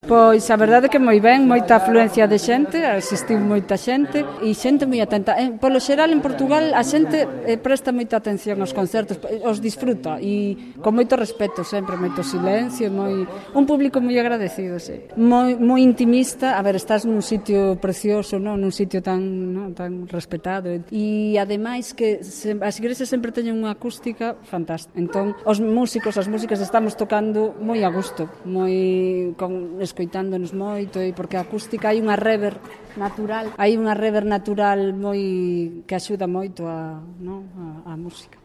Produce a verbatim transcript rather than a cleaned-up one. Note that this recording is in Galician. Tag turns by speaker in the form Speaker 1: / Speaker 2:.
Speaker 1: Pois a verdade é que moi ben, moita afluencia de xente, asistiu moita xente e xente moi atenta. Eh, polo xeral en Portugal a xente eh, presta moita atención aos concertos, os disfruta e con moito respeto sempre, moito silencio, moi un público moi agradecido, sí. Moi moi intimista, a ver, estás nun sitio precioso, non, nun sitio tan, non, tan respetado e ademais que se, as igrexas sempre teñen unha acústica fantástica. Entón, os músicos, as músicas estamos tocando moi a gusto, moi con escoitándonos moito e porque a acústica hai unha rever natural, hai unha rever natural moi que axuda moito a, non, a, a música.